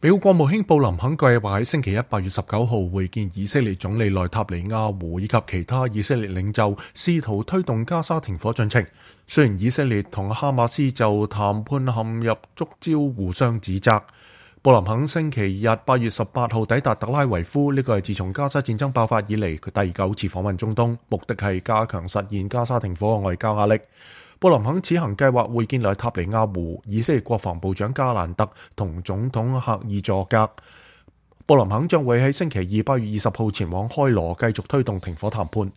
美國國務卿布林肯計劃喺星期一8月19號會見以色列總理內塔尼亞胡以及其他以色列領袖，試圖推動加沙停火進程。雖然以色列同哈馬斯就談判陷入觸礁，互相指責。布林肯星期日8月18號抵達特拉維夫，呢個係自從加沙戰爭爆發以嚟佢第9次訪問中東，目的係加強實現加沙停火嘅外交壓力。布林肯此行計劃會見內塔尼亞胡、以色列國防部長加蘭特同總統赫爾佐格。布林肯將會喺星期二8月20號前往開羅繼續推動停火談判。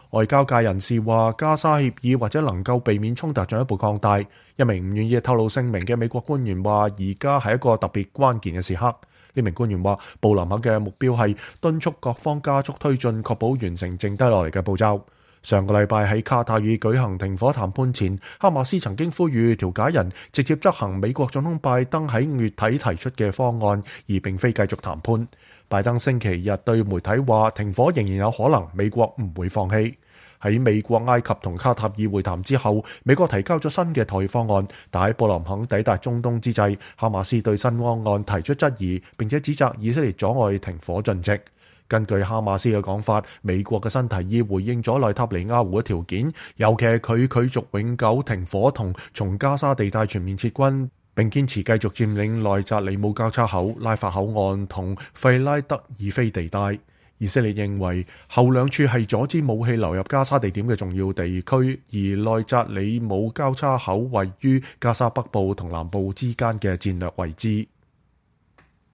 外交界人士話，加沙協議或者能夠避免衝突進一步擴大。一名唔願意透露姓名嘅美國官員話，而家係一個特別關鍵嘅時刻。呢名官員話，布林肯嘅目標係敦促各方加速推進，確保完成剩低落嚟嘅步驟。上個禮拜喺卡塔爾舉行停火談判前，哈馬斯曾經呼籲調解人直接執行美國總統拜登喺5月底提出嘅方案，而並非繼續談判。拜登星期日對媒體話，停火仍然有可能，美國唔會放棄。喺美國、埃及同卡塔爾會談之後，美國提交咗新嘅妥協方案，但喺布林肯抵達中東之際，哈馬斯對新方案提出質疑，並且指責以色列阻礙停火進程。根據哈馬斯嘅講法，美國嘅新提議回應咗內塔尼亞胡嘅條件，尤其係佢拒絕永久停火同從加沙地帶全面撤軍，並堅持繼續佔領內扎里姆交叉口、拉法口岸同費拉德爾菲地帶。以色列認為後兩處係阻止武器流入加沙地點嘅重要地區，而內扎里姆交叉口位於加沙北部同南部之間嘅戰略位置。